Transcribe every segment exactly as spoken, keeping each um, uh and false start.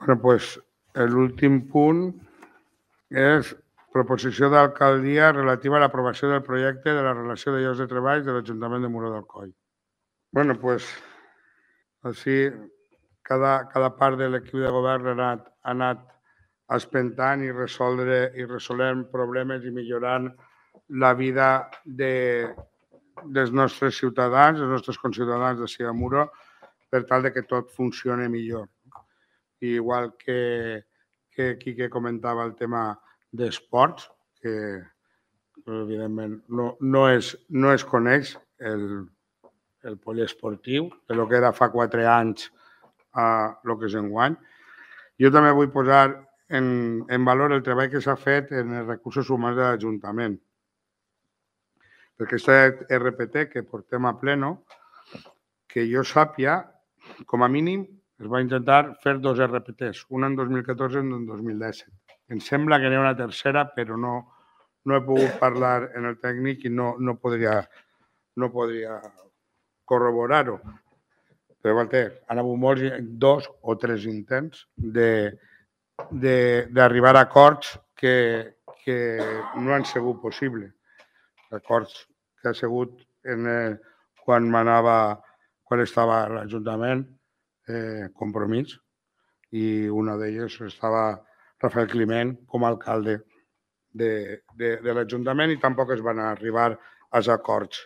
Bueno, doncs l'últim punt és proposició d'alcaldia relativa a l'aprovació del projecte de la relació de llocs de treball de l'Ajuntament de Muro d'Alcoi. Bé, doncs, així cada, cada part de l'equip de govern ha anat, ha anat espentant i resoldre i resolent problemes i millorant la vida de, dels nostres ciutadans, dels nostres conciutadans de Sia Muro, per tal de que tot funcioni millor. I igual que, que aquí que comentava el tema d'esports, que evidentment no, no, es, no es coneix el, el poliesportiu, de lo que era fa quatre anys a el que és enguany. Jo també vull posar en, en valor el treball que s'ha fet en els recursos humans de l'Ajuntament. Perquè aquest R P T que portem a pleno, que jo sàpia, com a mínim, es va intentar fer dos R P Ts, un en dos mil catorze i un en dos mil disset. Em sembla que n'hi ha una tercera, però no, no he pogut parlar en el tècnic i no, no podria, no podria corroborar-ho. Però han hagut molts, dos o tres intents d'arribar a acords que, que no han sigut possibles. Acords que ha sigut en el, quan manava, quan estava a l'Ajuntament, eh, Compromís, i una d'elles estava Rafael Climent com a alcalde de, de, de l'Ajuntament i tampoc es van arribar als acords,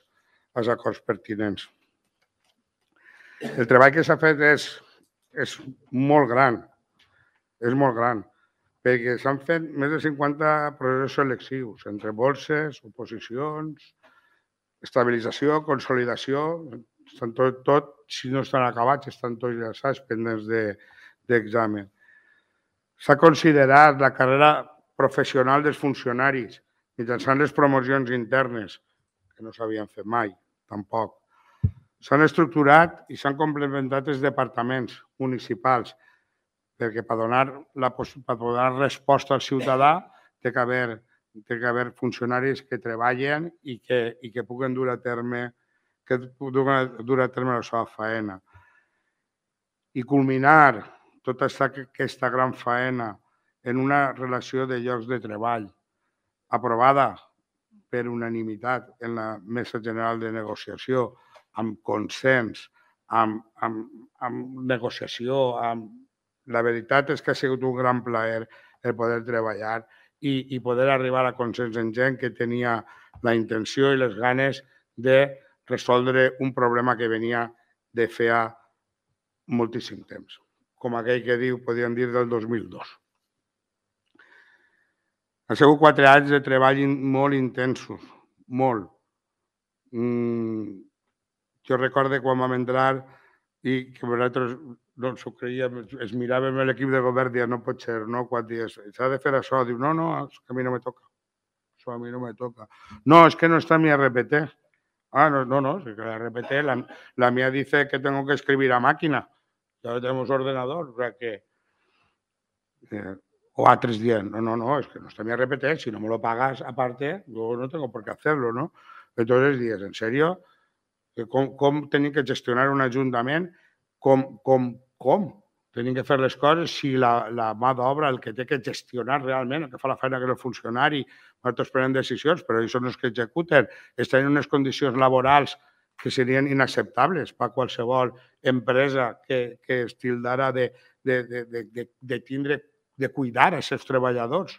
als acords pertinents. El treball que s'ha fet és, és molt gran, és molt gran, perquè s'han fet més de cinquanta processos selectius, entre borses, oposicions, estabilització, consolidació, estan tot, tot, si no estan acabats, estan tots llançats pendents d'examen. S'ha considerat la carrera professional dels funcionaris mitjançant les promocions internes, que no s'havien fet mai, tampoc. S'han estructurat i s'han complementat els departaments municipals, perquè per donar, la, per donar resposta al ciutadà té que haver té que haver funcionaris que treballen i que, i que puguen dur a terme que puguen dur a terme la seva feina. I culminar tota aquesta gran feina en una relació de llocs de treball aprovada per unanimitat en la Mesa General de Negociació, amb consens, amb, amb, amb negociació, amb... La veritat és que ha sigut un gran plaer el poder treballar i, i poder arribar a consens en gent que tenia la intenció i les ganes de resoldre un problema que venia de feia moltíssim temps, com aquell que diu, podríem dir, del dos mil dos. Han sigut quatre anys de treball molt intensos, molt. Mm, jo recordo quan vam entrar i que nosaltres no ens ho creiem, es miràvem l'equip de govern i deia, no pot ser, no? Quan dies, s'ha de fer això, diu, no, no, és que a mi no me toca. Això a mi no me toca. No, es que no está mi R P T. Ah, no, no, no, es que la R P T, la, la mía dice que tengo que escribir a máquina. Ya tenemos ordenador, o sea que... Eh, o a tres días, no, no, no, es que no está mi R P T, si no me lo pagas aparte, yo no tengo por qué hacerlo, ¿no? Entonces dius, ¿en serio? Com, com tenim que gestionar un ajuntament? Com, com, com? Tenim que fer les coses si la, la mà d'obra, el que té que gestionar realment, el que fa la feina que és el funcionari, nosaltres prenem decisions, però ells són els que executen, estan en unes condicions laborals que serien inacceptables per a qualsevol empresa que, que es tildara de, de, de, de, de tindre, de cuidar els seus treballadors.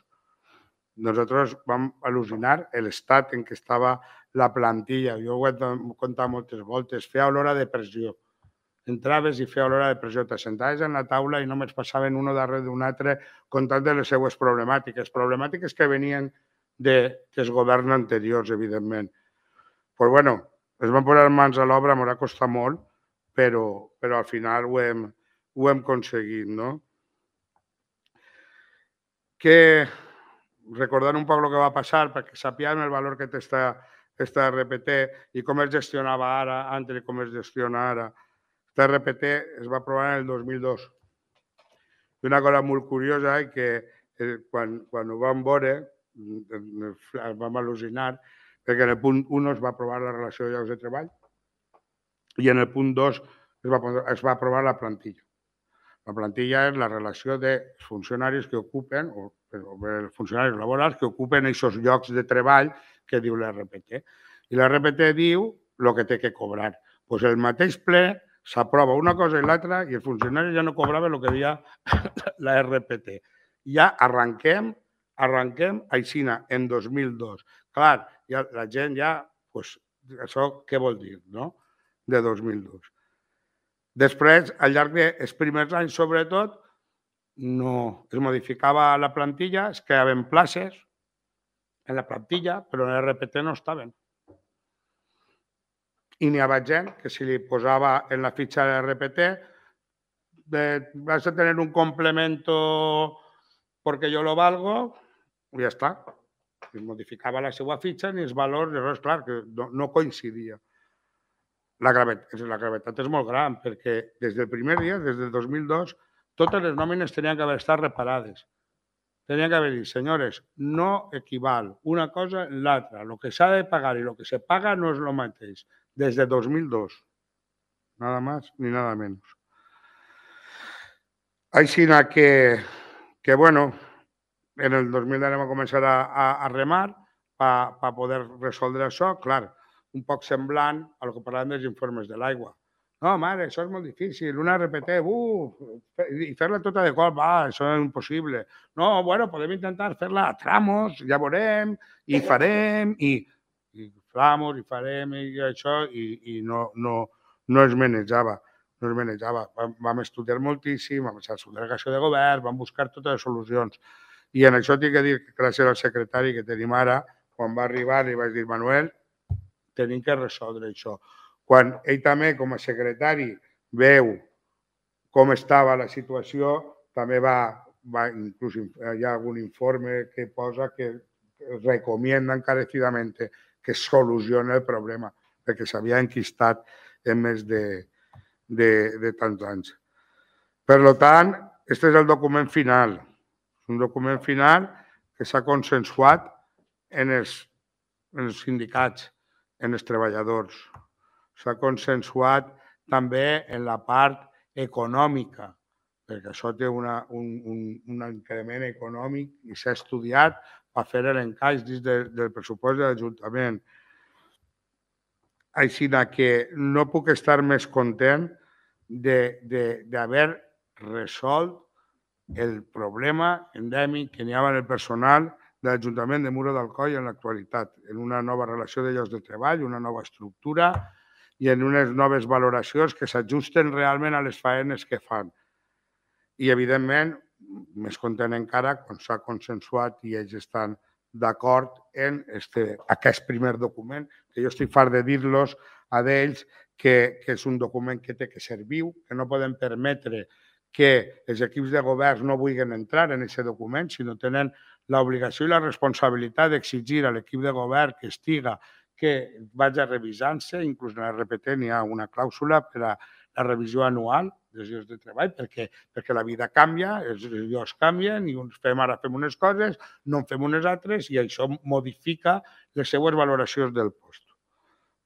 Nosaltres vam al·lucinar l'estat en què estava la plantilla. Jo ho he contat moltes voltes. Feia olor a depressió. Entraves i feia olor a depressió. T'assentaves en la taula i només passaven un darrere d'un altre contant de les seues problemàtiques. Problemàtiques que venien dels governs anteriors, evidentment. Però, bueno, es van posar mans a l'obra, m'haurà costat molt, però, però al final ho hem, ho hem aconseguit, no? Que... recordar un poc el que va passar, perquè sapiem el valor que té aquesta R P T i com es gestionava ara, antes i com es gestiona ara. Aquesta R P T es va aprovar en el dos mil dos. I una cosa molt curiosa és que quan, quan ho vam veure, vam al·lucinar, perquè en el punt un es va aprovar la relació de llocs de treball i en el punt dos es va, es va aprovar la plantilla. La plantilla és la relació de funcionaris que ocupen, o els funcionaris laborals que ocupen aquests llocs de treball que diu l'R P T. I l'R P T diu el que té que cobrar. Doncs el mateix ple s'aprova una cosa i l'altra i els funcionaris ja no cobraven el que deia la R P T. Ja arranquem, arranquem aixina en dos mil dos. Clar, ja, la gent ja, doncs, això què vol dir, no?, de dos mil dos. Després, al llarg dels primers anys, sobretot, no es modificava la plantilla, es creaven places en la plantilla, però en l'R P T no estaven. I n'hi havia gent que si li posava en la fitxa de l'R P T vas a tener un complemento porque yo lo valgo i ja està. Es modificava la seva fitxa ni els valors, llavors, clar, que no, no coincidia. La gravetat, la gravetat és molt gran perquè des del primer dia, des del dos mil dos, totes les nòmines tenien que haver estat reparades. Tenien que haver dit, senyores, no equival una cosa en l'altra. El que s'ha de pagar i el que se paga no és el mateix. Des de dos mil dos. Nada más ni nada menos. Així que, que, bueno, en el dos mil deu vam començar a, a, a remar per pa poder resoldre això. Clar, un poc semblant a el que parlàvem dels informes de l'aigua. No, mare, això és molt difícil. Una R P T, uh, i fer-la tota de cop, va, això és impossible. No, bueno, podem intentar fer-la a tramos, ja veurem, i farem, i, i tramos, i farem, i això, i, i no, no, no es manejava. No es manejava. Vam, vam estudiar moltíssim, vam fer la delegació de govern, vam buscar totes les solucions. I en això tinc que dir que gràcies al secretari que tenim ara, quan va arribar li vaig dir, Manuel, tenim que resoldre això. Quan ell també, com a secretari, veu com estava la situació, també va, va inclús hi ha algun informe que posa que recomienda encarecidament que es solucioni el problema, perquè s'havia enquistat en més de, de, de tants anys. Per tant, aquest és el document final. És un document final que s'ha consensuat en els, en els sindicats, en els treballadors. S'ha consensuat també en la part econòmica, perquè això té una, un, un, un increment econòmic i s'ha estudiat per fer l'encaix dins de, del pressupost de l'Ajuntament. Així que no puc estar més content d'haver resolt el problema endèmic que n'hi ha en el personal de l'Ajuntament de Muro d'Alcoi en l'actualitat, en una nova relació de llocs de treball, una nova estructura i en unes noves valoracions que s'ajusten realment a les faenes que fan. I, evidentment, més content encara quan s'ha consensuat i ells estan d'acord en este, aquest primer document, que jo estic fart de dir-los a d'ells que, que és un document que té que ser viu, que no podem permetre que els equips de govern no vulguin entrar en aquest document, sinó tenen l'obligació i la responsabilitat d'exigir a l'equip de govern que estiga que vagi revisant-se, inclús en l'R P T n'hi ha una clàusula per a la revisió anual dels llocs de treball, perquè, perquè la vida canvia, els llocs canvien, i uns fem ara fem unes coses, no en fem unes altres, i això modifica les seues valoracions del post.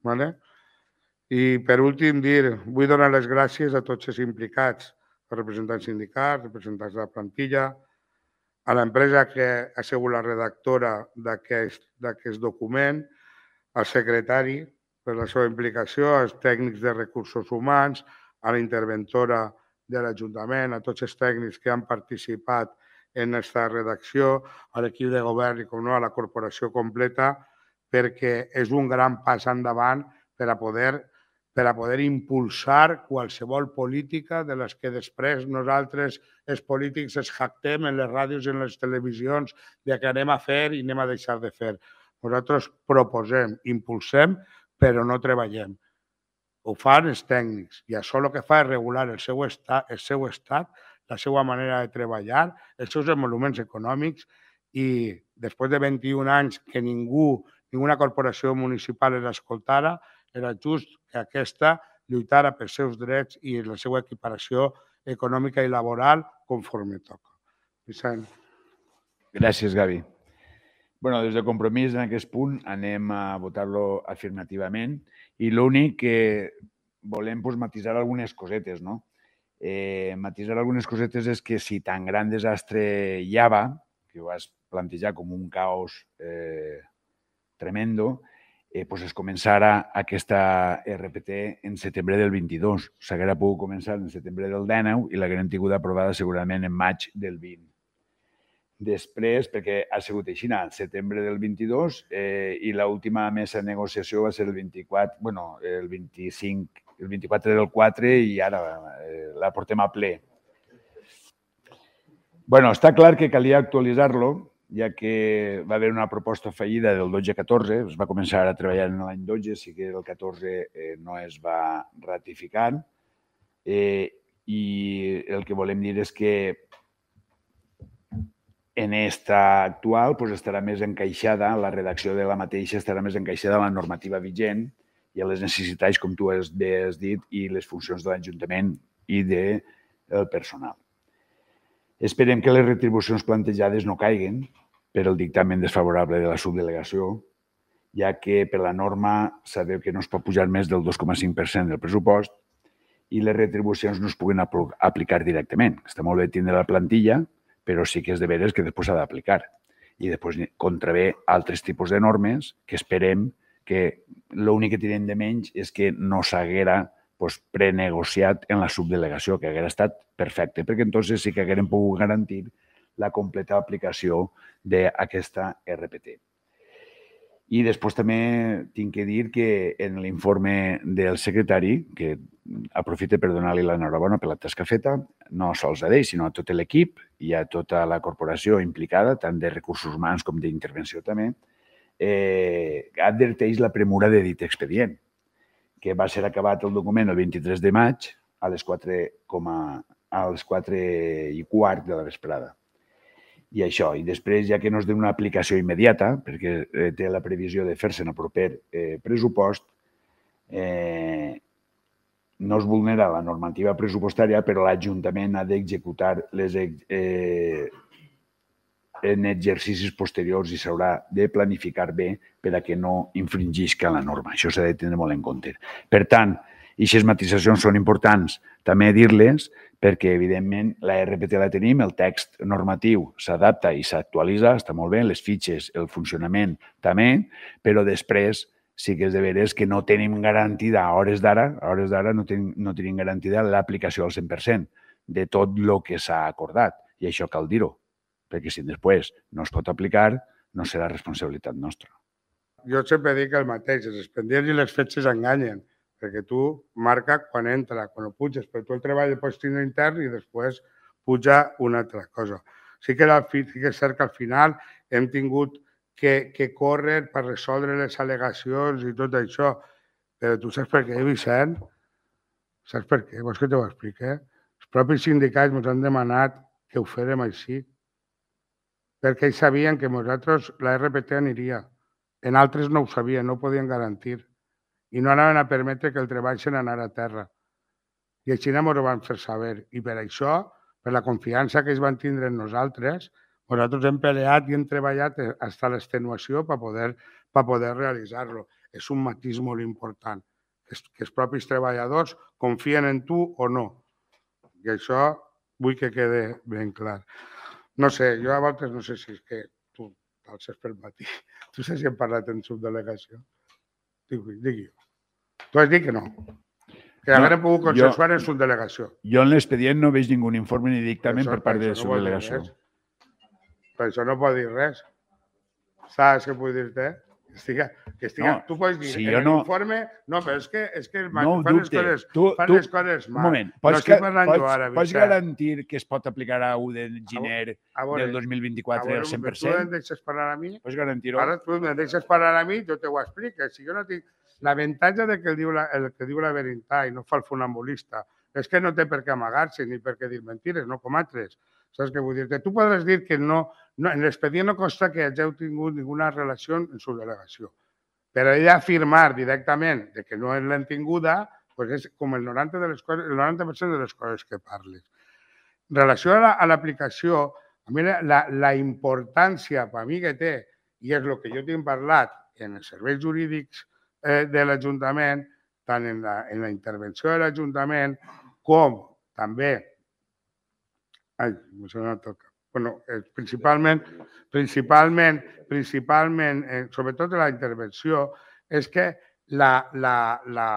Vale? I per últim dir, vull donar les gràcies a tots els implicats, als representants sindicals, representants de la plantilla, a l'empresa que ha sigut la redactora d'aquest document, al secretari per la seva implicació, als tècnics de recursos humans, a la interventora de l'Ajuntament, a tots els tècnics que han participat en aquesta redacció, a l'equip de govern i, com no, a la corporació completa, perquè és un gran pas endavant per a poder per a poder impulsar qualsevol política de les que després nosaltres, els polítics, es jactem en les ràdios i en les televisions de que anem a fer i anem a deixar de fer. Nosaltres proposem, impulsem, però no treballem. Ho fan els tècnics i això el que fa és regular el seu estat, el seu estat, la seva manera de treballar, els seus emoluments econòmics i després de vint-i-un anys que ningú, ninguna corporació municipal els escoltara, era just que aquesta lluitara pels seus drets i la seva equiparació econòmica i laboral conforme toca. Vicent. Gràcies, Gavi. Bé, des de Compromís en aquest punt anem a votar-lo afirmativament i l'únic que volem matisar algunes cosetes, no? Matisar algunes cosetes és que si tan gran desastre hi ha, que ho vas plantejar com un caos tremendo, pues es començara aquesta R P T en setembre del vint-i-dos. S'haguera pogut començar en setembre del dinou i l'hagueren tingut aprovada segurament en maig del vint. Després, perquè ha sigut així, al setembre del vint-i-dos, i l'última mesa de negociació va ser el vint-i-quatre, bueno, el vint-i-cinc, el vint-i-quatre del quatre i ara la portem a ple. Bueno, està clar que calia actualitzar-lo, ja que va haver una proposta fallida del dotze catorze, es va començar a treballar en l'any dotze, sí que el catorze no es va ratificar, i el que volem dir és que en esta actual estarà més encaixada, la redacció de la mateixa estarà més encaixada a la normativa vigent i a les necessitats, com tu has dit, i les funcions de l'Ajuntament i del personal. Esperem que les retribucions plantejades no caiguen per el dictamen desfavorable de la subdelegació, ja que per la norma sabeu que no es pot pujar més del dos coma cinc per cent del pressupost i les retribucions no es puguen aplicar directament. Està molt bé tindre la plantilla, però sí que és de veres que després s'ha d'aplicar. I després contravé altres tipus de normes que esperem que l'únic que tenen de menys és que no s'haguera prenegociat en la subdelegació, que haguera estat perfecte, perquè entonces sí que haguérem pogut garantir la completa aplicació d'aquesta R P T. I després també tinc que dir que en l'informe del secretari, que aprofite per donar-li l'enhorabona per la tasca feta, no sols a ell, sinó a tot l'equip i a tota la corporació implicada, tant de recursos humans com d'intervenció també, adverteix la premura de dit expedient, que va ser acabat el document el vint-i-tres de maig a les quatre i quart de la vesprada. I això, i després, ja que no es dona una aplicació immediata, perquè té la previsió de fer-se en el proper pressupost, no es vulnera la normativa pressupostària, però l'Ajuntament ha d'executar en exercicis posteriors i s'haurà de planificar bé per a que no infringisca la norma. Això s'ha de tenir molt en compte. Per tant, aquestes matisacions són importants també dir-les perquè, evidentment, la R P T la tenim, el text normatiu s'adapta i s'actualitza, està molt bé, les fitxes, el funcionament també, però després sí que és de veres que no tenim garantida, a hores d'ara, a hores d'ara no tenim garantida l'aplicació al cent per cent de tot el que s'ha acordat. I això cal dir-ho, perquè si després no es pot aplicar, no serà responsabilitat nostra. Jo sempre dic el mateix, els expedients i les fetges enganyen, perquè tu marca quan entra, quan ho puges, però tu el treball el pots tindre intern i després puja una altra cosa. Sí que és cert que al final hem tingut que córrer per resoldre les al·legacions i tot això, però tu saps per què, Vicent? Saps per què? Vols que t'ho expliqui? Els propis sindicats ens han demanat que ho fèrem així, perquè ells sabien que nosaltres la R P T aniria. En altres no ho sabien, no ho podien garantir. I no anaven a permetre que el treball se n'anara a terra. I així ens ho van fer saber. I per això, per la confiança que ells van tindre en nosaltres, nosaltres hem peleat i hem treballat fins a l'extenuació per poder realitzar-lo. És un matís molt important, que els propis treballadors confien en tu o no. I això vull que quede ben clar. No sé, jo a voltes no sé si és que tu t'alces pel matí. Tu saps si hem parlat en subdelegació? Digui jo. Tu has dit que no. Que haguem pogut consensuar en subdelegació. Jo en l'expedient no veig ningú informe ni dictamen per part de subdelegació. Per això no pot dir res. Saps què vull dir-te? Tu pots dir, en l'informe... No, però és que fan les coses mal. Un moment, pots garantir que es pot aplicar a u de gener del dos mil vint-i-quatre al cent per cent? Tu em deixes parlar a mi? Pots garantir-ho? Ara tu em deixes parlar a mi, jo te ho explico. Si jo no tinc... L'avantatge que diu la veritat i no fa el funambulista és que no té per què amagar-se ni per què dir mentires, no com altres. Saps què vull dir-te? Tu podràs dir que no, en l'expedient no consta que hàgiu tingut ninguna relació en subdelegació, però ella afirmar directament que no l'hem tinguda és com el noranta per cent de les coses que parles. En relació a l'aplicació, a mi la importància per a mi que té, i és el que jo tinc parlat en els serveis jurídics de l'Ajuntament, tant en la intervenció de l'Ajuntament com també, ai, m'ha sonat el cap. Bueno, principalment, principalment, principalment, sobretot en la intervenció, és que la, la, la,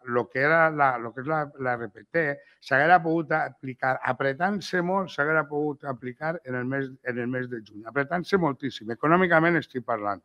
lo que era la, lo que és la, la R P T s'haguera pogut aplicar, apretant-se molt, s'haguera pogut aplicar en el, mes, en el mes de juny, apretant-se moltíssim. Econòmicament estic parlant.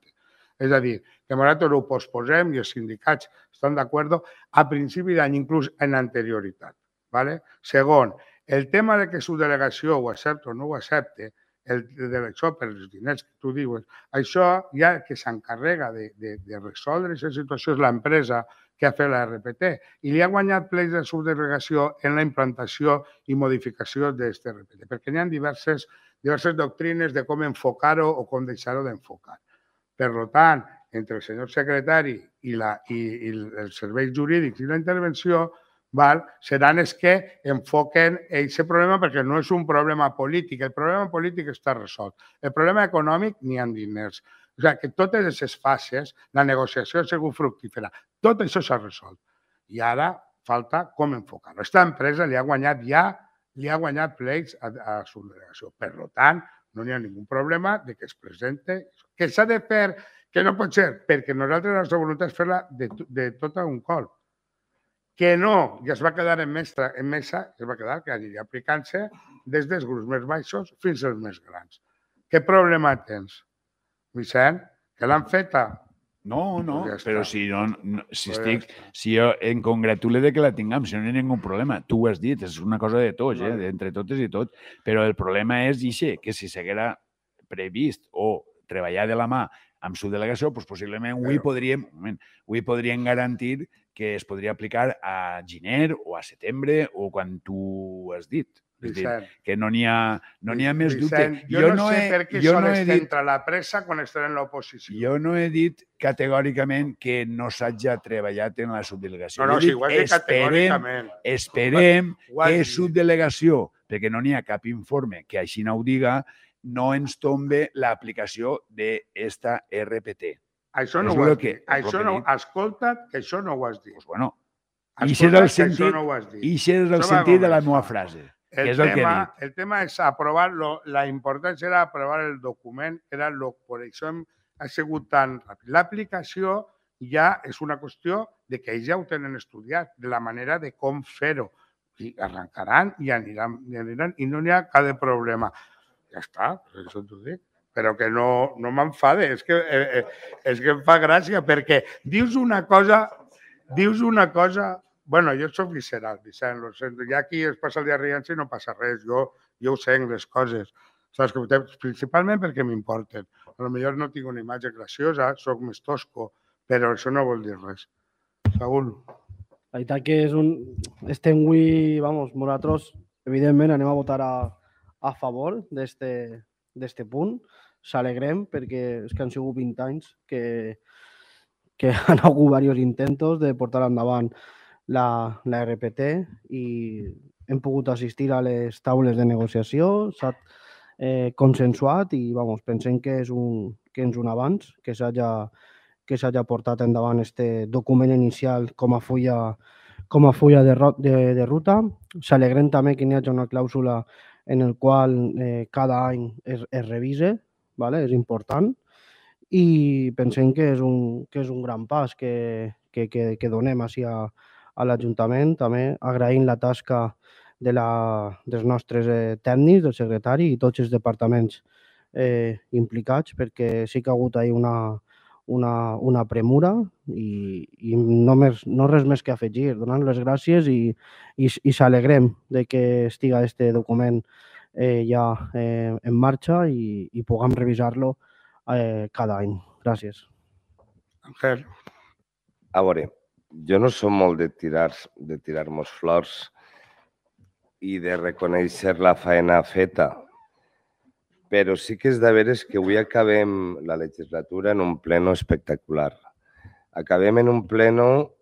És a dir, que nosaltres ho posposem i els sindicats estan d'acord a principi d'any, inclús en anterioritat. ¿Vale? Segon, el tema de que su delegació ho accepta o no ho accepta, el de això per els diners que tu dius, això ja que s'encarrega de, de, de resoldre aquesta situació és l'empresa que ha fet la R P T i li ha guanyat plecs de subdelegació en la implantació i modificació d'aquesta R P T, perquè n'hi ha diverses, diverses doctrines de com enfocar-ho o com deixar-ho d'enfocar. Per tant, entre el senyor secretari i, la, i, i els serveis jurídics i la intervenció, val, seran els que enfoquen aquest problema perquè no és un problema polític. El problema polític està resolt. El problema econòmic n'hi ha diners. O sigui, que totes aquestes fases, la negociació ha sigut fructífera. Tot això s'ha resolt. I ara falta com enfocar-ho. Aquesta empresa li ha guanyat ja, li ha guanyat plecs a, a la subdelegació. Per tant, no hi ha ningú problema de que es presente. Que s'ha de fer, que no pot ser, perquè nosaltres la nostra voluntat és fer-la de, de tot a un colp. Que no, i es va quedar en mesa, en mesa es va quedar que aniria aplicant-se des dels grups més baixos fins als més grans. Què problema tens, Vicent? Que l'han feta? No, no, pues ja però si, no, no, si, pues estic, ja si jo em congratule de que la tinguem, si no hi ha ningú problema. Tu ho has dit, és una cosa de tots, eh, entre totes i tots, però el problema és ixe, que si s'haguera previst o treballar de la mà amb subdelegació, doncs possiblement avui podríem, avui podríem garantir que es podria aplicar a gener o a setembre o quan tu has dit. És dir, que no n'hi ha, no n'hi ha més dubte. Jo, jo no, no sé he, per què sols no entra la pressa quan estarà en l'oposició. Jo no he dit categòricament que no s'hagi treballat en la subdelegació. No, no, si ho has dit categòricament. Esperem que subdelegació, perquè no n'hi ha cap informe que així no ho diga, no ens tombe l'aplicació d'esta R P T. Això no ho has dit. Això no, escolta't, que això no ho has dit. Doncs bueno, ixe és el sentit, ixe és el sentit de la meva frase. El, és el, tema, que el tema és aprovar, lo, la importància era aprovar el document, era lo, per això ha sigut tan ràpid. L'aplicació ja és una qüestió de que ells ja ho tenen estudiat, de la manera de com fer-ho. I arrencaran i aniran, i aniran i no n'hi ha cap problema. Ja està, això t'ho dic. Però que no, no m'enfade, és, que, eh, és que em fa gràcia perquè dius una cosa, dius una cosa... Bueno, jo soc visceral, Vicent, lo sento. Ja aquí es passa el dia rient i no passa res. Jo, jo ho sé, les coses. Saps? Principalment perquè m'importen. Potser no tinc una imatge graciosa, soc més tosco, però això no vol dir res. Saúl. La veritat que és un... Estem avui, vamos, nosaltres, evidentment, anem a votar a, a favor d'este punt. S'alegrem perquè és que han sigut vint anys que, que han hagut diversos intents de portar endavant La, la R P T i hem pogut assistir a les taules de negociació, s'ha eh, consensuat i vamos, pensem que és un, que és un avanç, que s'hagi que s'hagi portat endavant este document inicial com a fulla, com a fulla de, de, de ruta. S'alegrem també que hi hagi una clàusula en el qual eh, cada any es, es revise, ¿vale? És important, i pensem que és un, que és un gran pas que, que, que, que donem així a a l'Ajuntament, també agraint la tasca de la, dels nostres eh, tècnics, del secretari i tots els departaments eh, implicats, perquè sí que ha hagut ahí una, una, una premura i, i no, més, no res més que afegir, donant les gràcies i, i, i s'alegrem de que estiga este document eh, ja eh, en marxa i, i puguem revisar-lo eh, cada any. Gràcies. Ángel. A veure, jo no som molt de tirar de tirar-nos flors i de reconèixer la feina feta, però sí que és de veres que avui acabem la legislatura en un pleno espectacular. Acabem en un pleno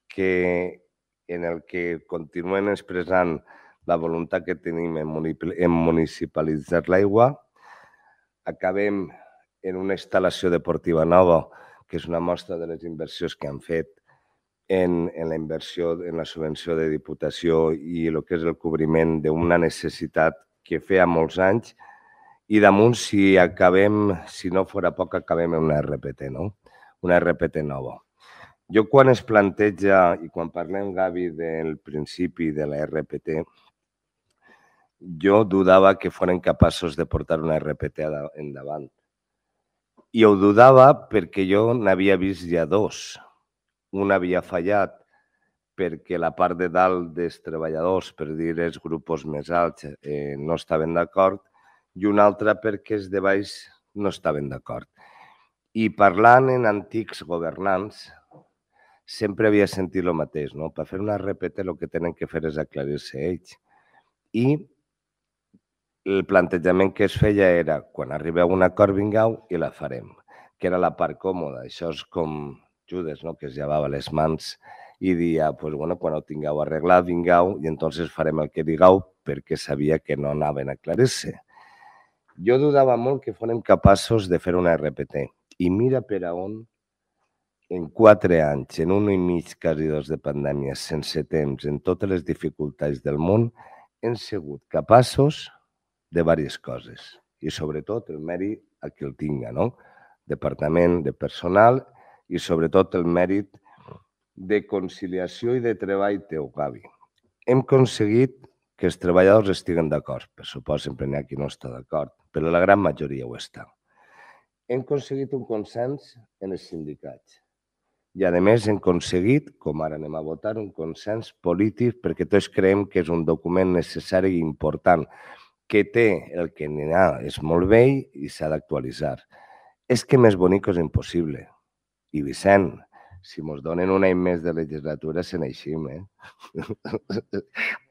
que, en el que continuem expressant la voluntat que tenim en municipalitzar l'aigua. Acabem en una instal·lació deportiva nova, que és una mostra de les inversions que han fet en, en la inversió, en la subvenció de Diputació i el que és el cobriment d'una necessitat que feia molts anys i damunt, si acabem, si no fora poc, acabem en una R P T, no? Una R P T nova. Jo quan es planteja, i quan parlem, Gavi, del principi de la R P T, jo dudava que foren capaços de portar una R P T endavant. I ho dudava perquè jo n'havia vist ja dos. Un havia fallat perquè la part de dalt dels treballadors, per dir els grups més alts, eh, no estaven d'acord, i un altre perquè els de baix no estaven d'acord. I parlant en antics governants, sempre havia sentit el mateix, no? Per fer una R P T el que tenen que fer és aclarir-se ells. I el plantejament que es feia era, quan arribeu a un acord, vingueu i la farem, que era la part còmoda. Això és com Judes, no? Que es llevava les mans i dia, pues, bueno, quan ho tingueu arreglat, vingueu i entonces farem el que digueu, perquè sabia que no anaven a aclarir-se. Jo dudava molt que fórem capaços de fer una R P T. I mira per a on, en quatre anys, en un i mig, quasi dos de pandèmia, sense temps, en totes les dificultats del món, hem sigut capaços de diverses coses. I sobretot el mèrit a qui el tinga, no? Departament de personal i sobretot el mèrit de conciliació i de treball teu, Gavi. Hem aconseguit que els treballadors estiguen d'acord. Per supost, sempre n'hi ha qui no està d'acord, però la gran majoria ho està. Hem aconseguit un consens en els sindicats. I, a més, hem aconseguit, com ara anem a votar, un consens polític perquè tots creiem que és un document necessari i important, que té el que n'hi ha, és molt vell i s'ha d'actualitzar. És que més bonic és impossible. I Vicent, si ens donen un any més de legislatura, se n'eixim, eh?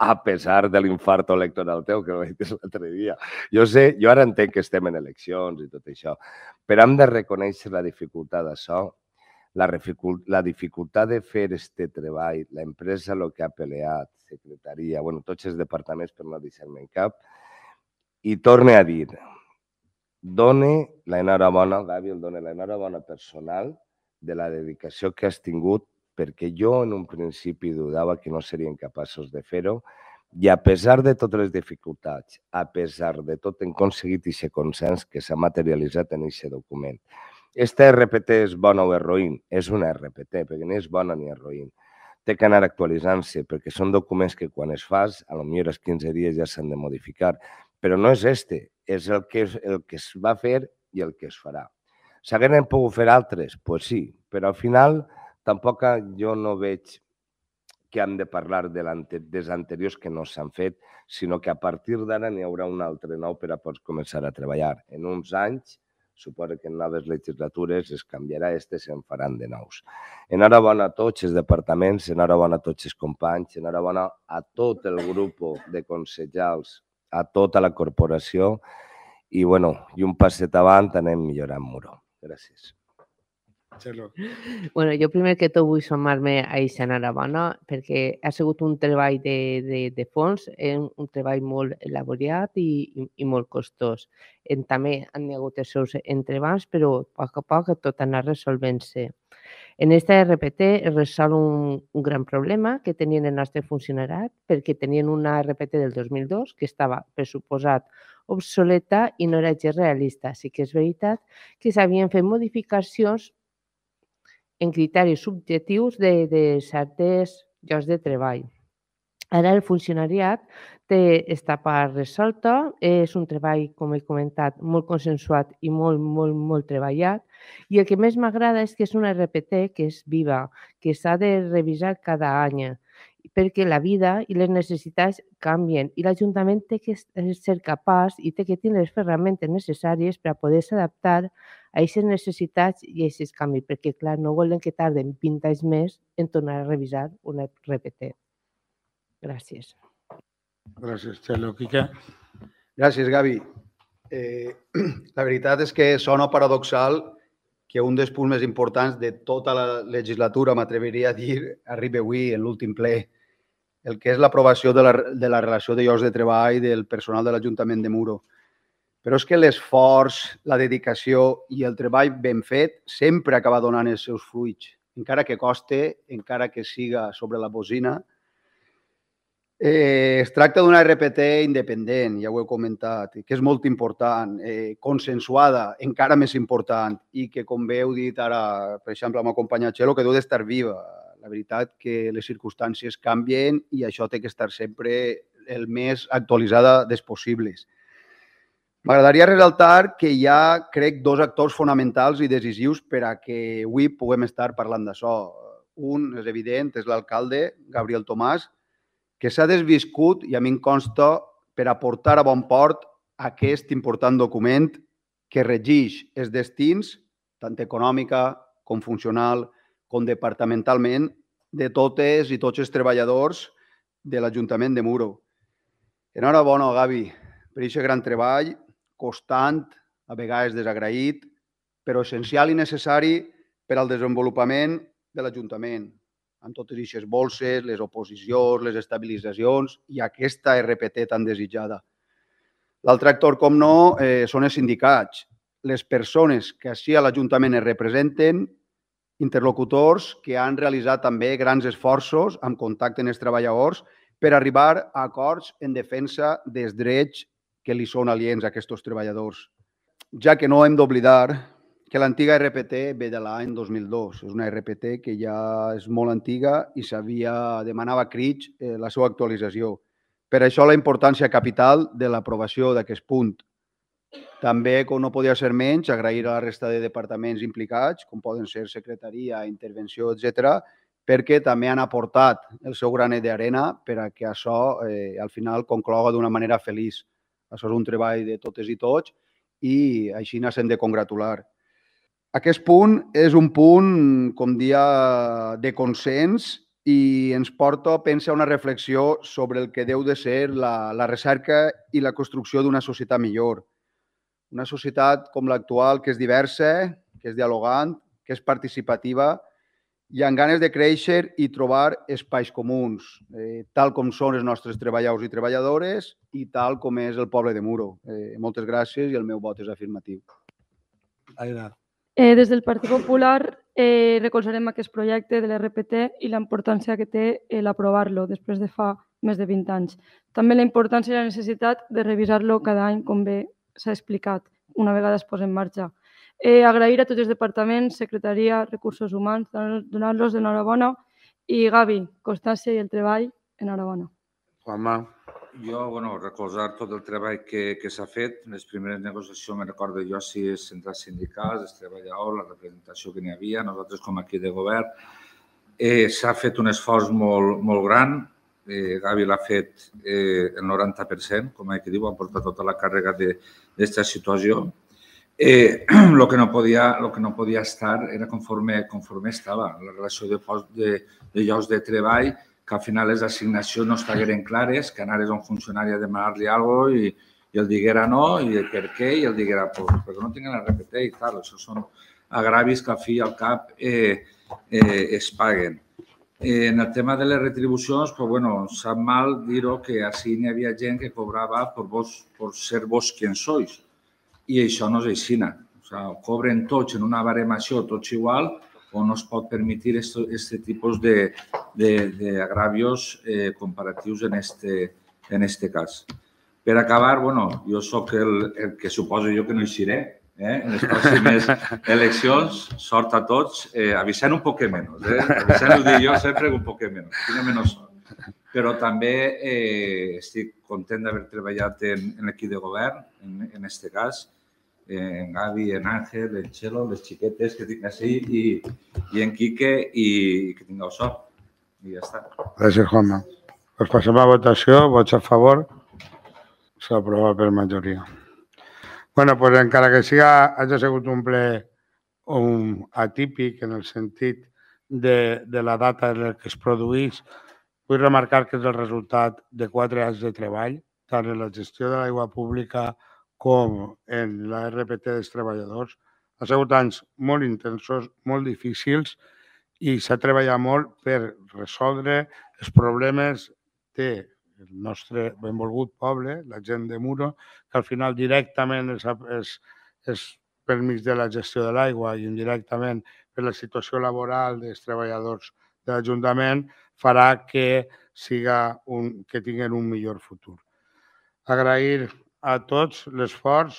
A pesar de l'infarto electoral teu, que ho vaig dir l'altre dia. Jo sé, jo ara entenc que estem en eleccions i tot això, però hem de reconèixer la dificultat d'això, la dificultat de fer aquest treball, l'empresa el que ha peleat, secretaria, bueno, tots els departaments per no deixar-me en cap, i torne a dir, done l'enhorabona, Gavi, el done l'enhorabona personal de la dedicació que has tingut, perquè jo en un principi dudava que no serien capaços de fer-ho, i a pesar de totes les dificultats, a pesar de tot, hem aconseguit aquest consens que s'ha materialitzat en aquest document. Esta R P T és bona o és roïn? És una R P T, perquè ni és bona ni és roïn. Té que anar actualitzant-se, perquè són documents que quan es fas, potser els quinze dies ja s'han de modificar, però no és este, és el que, el que es va fer i el que es farà. S'hagueren pogut fer altres? Doncs sí, però al final tampoc jo no veig que hem de parlar dels anteriors que no s'han fet, sinó que a partir d'ara n'hi haurà un altre nou per a poder començar a treballar. En uns anys, suposo que en noves legislatures es canviarà este i se'n faran de nous. Enhorabona a tots els departaments, enhorabona a tots els companys, enhorabona a tot el grup de consellers, a tota la corporació i, bueno, i un passet avant anem millorant Muro. Gràcies. Bueno, jo primer que tot vull sumar-me a aquesta enhorabona perquè ha sigut un treball de, de, de fons, un treball molt elaborat i, i, i molt costós. En, també han hagut els seus entrebancs, però a poc a poc tot ha anat resolvent-se. En aquesta R P T es resol un, un gran problema que tenien el nostre funcionariat perquè tenien una R P T del dos mil dos que estava, per suposat, obsoleta i no era gens realista. Sí que és veritat que s'havien fet modificacions en criteris subjectius de, de certs llocs de treball. Ara el funcionariat té aquesta part resolta, és un treball, com he comentat, molt consensuat i molt, molt, molt treballat, i el que més m'agrada és que és una R P T que és viva, que s'ha de revisar cada any, perquè la vida i les necessitats canvien i l'Ajuntament té que ser capaç i té que tenir les ferramentes necessàries per a poder-se adaptar a aquestes necessitats i a aquests canvis, perquè, clar, no volen que tarden vint anys més en tornar a revisar una R P T. Gràcies. Gràcies, Txelo. Quique? Gràcies, Gavi. Eh, la veritat és que sona paradoxal que un dels punts més importants de tota la legislatura, m'atreviria a dir, arribi avui en l'últim ple, el que és l'aprovació de, la, de la relació de llocs de treball del personal de l'Ajuntament de Muro. Però és que l'esforç, la dedicació i el treball ben fet sempre acaba donant els seus fruits encara que coste, encara que siga sobre la bocina. Eh, es tracta d'una R P T independent, ja ho he comentat, que és molt important, eh, consensuada, encara més important, i que, com bé heu dit ara, per exemple, amb el company Txelo, que deu d'estar viva. La veritat que les circumstàncies canvien i això té que estar sempre el més actualitzada des possibles. M'agradaria resaltar que hi ha, crec, dos actors fonamentals i decisius per a que avui puguem estar parlant d'això. Un, és evident, és l'alcalde, Gabriel Tomàs, que s'ha desviscut, i a mi em consta, per a portar a bon port aquest important document que regeix els destins, tant econòmica com funcional, com departamentalment, de totes i tots els treballadors de l'Ajuntament de Muro. Enhorabona, Gavi, per aquest gran treball, constant, a vegades desagraït, però essencial i necessari per al desenvolupament de l'Ajuntament, amb totes aquestes bolses, les oposicions, les estabilitzacions i aquesta R P T tan desitjada. L'altre actor, com no, eh, són els sindicats, les persones que així a l'Ajuntament es representen, interlocutors que han realitzat també grans esforços amb contacte amb els treballadors per arribar a acords en defensa dels drets que li són aliens a aquests treballadors. Ja que no hem d'oblidar que l'antiga R P T ve de l'any dos mil dos. És una R P T que ja és molt antiga i s'havia demanava a crits la seva actualització. Per això la importància capital de l'aprovació d'aquest punt. També, com no podia ser menys, agrair a la resta de departaments implicats, com poden ser secretaria, intervenció, etcètera, perquè també han aportat el seu granet d'arena per a que això eh, al final concloga d'una manera feliç. Això és un treball de totes i tots i així ens hem de congratular. Aquest punt és un punt, com dia, de consens i ens porta a pensar una reflexió sobre el que deu de ser la, la recerca i la construcció d'una societat millor. Una societat com l'actual, que és diversa, que és dialogant, que és participativa i amb ganes de créixer i trobar espais comuns, eh, tal com són els nostres treballadors i treballadores i tal com és el poble de Muro. Eh, moltes gràcies i el meu vot és afirmatiu. Aina. Eh, des del Partit Popular eh, recolzarem aquest projecte de l'R P T i la importància que té eh, l'aprovar-lo després de fa més de vint anys. També la importància i la necessitat de revisar-lo cada any, com bé s'ha explicat, una vegada es posa en marxa. Eh, agrair a tots els departaments, secretaria, recursos humans, donar-los enhorabona i Gavi, constància i el treball, enhorabona. Juanma. Jo, bueno, recolzar tot el treball que, que s'ha fet. Les primeres negociacions, me recordo jo, si els centrals sindicals, els treballadors, la representació que n'hi havia, nosaltres com aquí de govern, eh, s'ha fet un esforç molt, molt gran. Eh, Gavi l'ha fet eh, el noranta per cent, com que diu, ha portat tota la càrrega d'aquesta situació. Eh, lo que no podia, lo que no podia estar era conforme, conforme estava. La relació de, de, de llocs de treball, que al final les assignacions no estigueren clares, que anares a un funcionari a demanar-li alguna cosa i, i el diguera no, i el per què, i el diguera pues, perquè no tinguin la R P T i tal. Això són agravis que al fi i al cap eh, eh, es paguen. Eh, en el tema de les retribucions, pues, bueno, sap mal dir-ho que així n'hi havia gent que cobrava per, vos, per ser vos qui sois. I això no és així. O sea, cobren tots en una baremació, tots igual, o no es pot permitir aquest tipus d'agravios eh, comparatius en este, en este cas. Per acabar, bueno, jo sóc el, el que suposo jo que no hi seré eh, en les pròximes eleccions. Sort a tots. Eh, avisant un poc menys. Eh? Avisant ho dic jo sempre un poc menys. Tinc menys sort. Però també eh, estic content d'haver treballat en, en l'equip de govern, en, en este cas, en Gavi, en Ángel, en Txelo, les xiquetes que tinc així i, i en Quique i que tingueu sort. I ja està. Gràcies, Juanma. Pues passem a votació. Vots a favor. S'aprova per majoria. Bueno, pues encara que siga, hagi sigut un ple un atípic en el sentit de, de la data en què es produís, vull remarcar que és el resultat de quatre anys de treball, tant en la gestió de l'aigua pública com en la R P T dels treballadors. Ha sigut anys molt intensos, molt difícils i s'ha treballat molt per resoldre els problemes del nostre benvolgut poble, la gent de Muro, que al final directament és, és, és per mig de la gestió de l'aigua i indirectament per la situació laboral dels treballadors de l'Ajuntament farà que, siga un, que tinguin un millor futur. Agrair a tots l'esforç,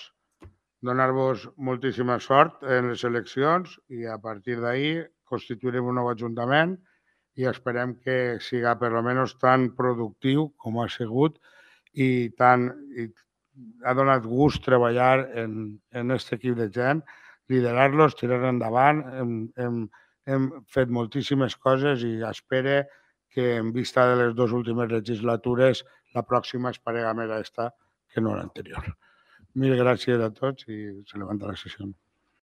donar-vos moltíssima sort en les eleccions i a partir d'ahir constituirem un nou Ajuntament i esperem que siga per almenys tan productiu com ha sigut i tan i ha donat gust treballar en aquest equip de gent, liderar-los, tirar endavant. Hem, hem, hem fet moltíssimes coses i espero que en vista de les dues últimes legislatures la pròxima es parega més a esta que no l'anterior. Mil gràcies a tots i se levanta la sessió.